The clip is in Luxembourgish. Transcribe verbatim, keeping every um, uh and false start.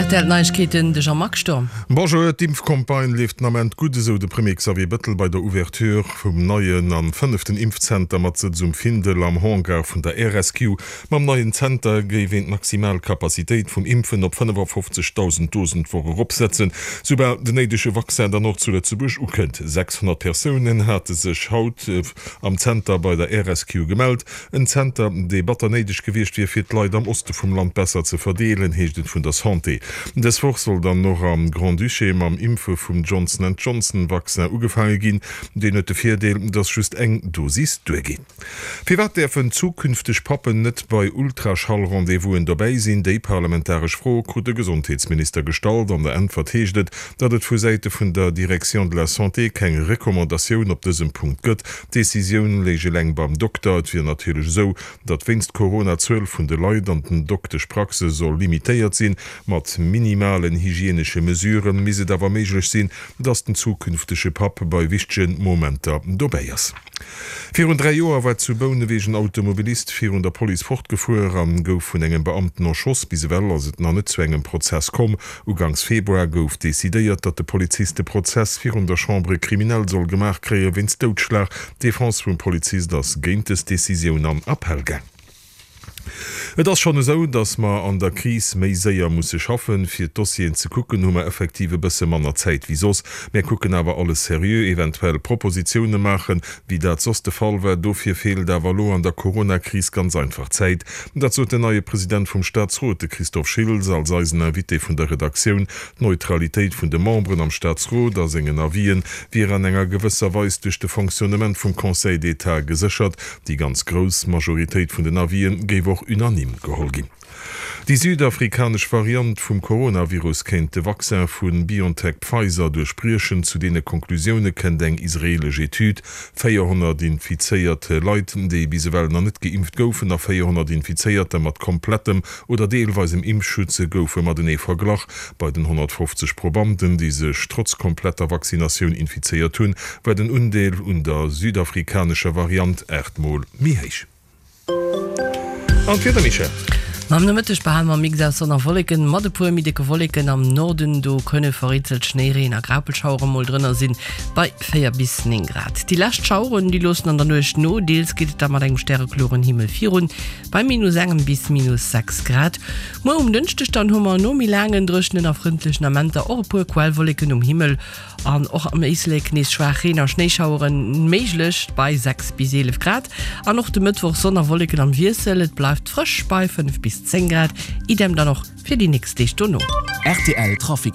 R T L Neiegkeeten, de Jean-Marc Sturm. Bonjour, d'Impfcampagne leeft den Ament gutt, esou de Premier Xavier Bettel bei der Ouverture vum neien an fënneften Impfzenter mat Sëtz um Findel am Hangar vun der R S Q. Mam neien Zenter géif een d'maximal Capacitéit vum Impfen op fënnefafofzegdausend Dosen d'Woch eropsetzen, soubal den néidege Vaccin dann och zu Lëtzebuerg ukënnt. sechshonnert Persounen hate sech haut am Zenter bei der R S Q gemellt. En Zenter, dee batter néideg gewiescht wier, fir d'Leit am Oste vum Land besser ze verdeelen, heescht et vun der Santé. Dës Woch soll dann och am Grand-Duché mam Impfe vum Johnson and Johnson Vaccin ugefaange ginn. Deen huet de Virdeel, dass just eng Dosis duergeet. Firwat däerfen zukünfteg Pappen net bei Ultraschall-Rendez-vousen dobäi sinn? Déi parlamentaresch Fro krut de Gesondheetsminister gestallt. An der Äntwert heescht et, datt et vu Säite vun der Direction de la Santé keng Recommandatioun op dësem Punkt gëtt. D'Decisioun léich eleng beim Dokter. Et wier natierlech esou, datt wéinst Corona d'Zuel vun de Leit an den Dokteschpraxe soll limitéiert sinn. Mat minimalen hygienesche Mesurë misst et awer méiglech sinn, datt den zukünftege Papp bei wichtege Momenter dobäi ass. Virun dräi Joer war zu Bouneweg en Automobilist virun der Police fortgefuer a gouf vun engem Beamten erschoss. Bis ewell ass et nach net zu engem Prozess komm. Uganks Februar gouf decidéiert, datt de Polizist de Prozess virun der Chambre criminelle soll gemaach kréie wéinst Doudschlag. D'Defense vum Polizist ass géint dës Decisioun an Appell gaang. Et ass schonn esou, datt mer an der Kris méi séier musse schaffen. Fir d'Dossieren ze kucken, hu mer effektiv e bësse manner Zäit wéi soss. Mär kucken awer alles seriö, eventuell Propositioune maachen, wéi dat soss de Fall war. Dofir feelt awer elo an der Corona-Kris ganz einfach d'Zäit. Dat sot den neie President vum Staatsrot, de Christophe Schiltz, als eisen Invité vun der Redaktioun. D'Neutralitéit vun de Memberen am Staatsrot a sengen Avisen wier an enger gewësser Weis duerch de Fonctionnement vum Conseil d'État geséchert. Déi ganz grouss Majoritéit vun den Avisen géif och unanime geholl ginn. Déi südafrikanesch Variant vum Coronavirus kéint de Vaccin vu BioNTech-Pfizer duerchbriechen. Zu deene Konklusioune kënnt eng israeelesch Etüd. véierhonnert infizéiert Leit, déi bis ewell nach net geimpft goufen, a véierhonnert Infizéierter mat komplettem oder deelweisem Impfschutz goufe matenee verglach. Bei den honnertfofzeg Probanden, déi sech trotz kompletter Vaccinatioun infizéiert hunn, war den Undeel un der südafrikanescher Variant aacht Mol méi héich. An d'Wieder, Michèle? Am Nomëtteg behale mer e Mix aus Sonn a Wolleken, mat e puer méi décke Wolleken am Norden. Do kënne vereenzelt Schnéireen a Graupelschauere mol drënner sinn, bei véier bis néng Grad. Déi lescht Schaueren, déi loossen an der Nuecht no, deels geet et da mat engem stärekloren Himmel virun, bei minus engem bis minus sechs Grad. Muer um Dënschdeg dann hu mer no méi laangen dréchenen a frëndlechen Amenter och e puer Quellwolleken um Himmel an och am Éislek nees schwaach Reen a Schnéischaueren méiglech, bei sechs bis eelef Grad. An och de Mëttwoch Sonn a Wolleken am Wiessel, et bleift frësch bei fënnef bis zéng Grad. Idem dann och fir déi nächst Deeg dono. R T L Trafic.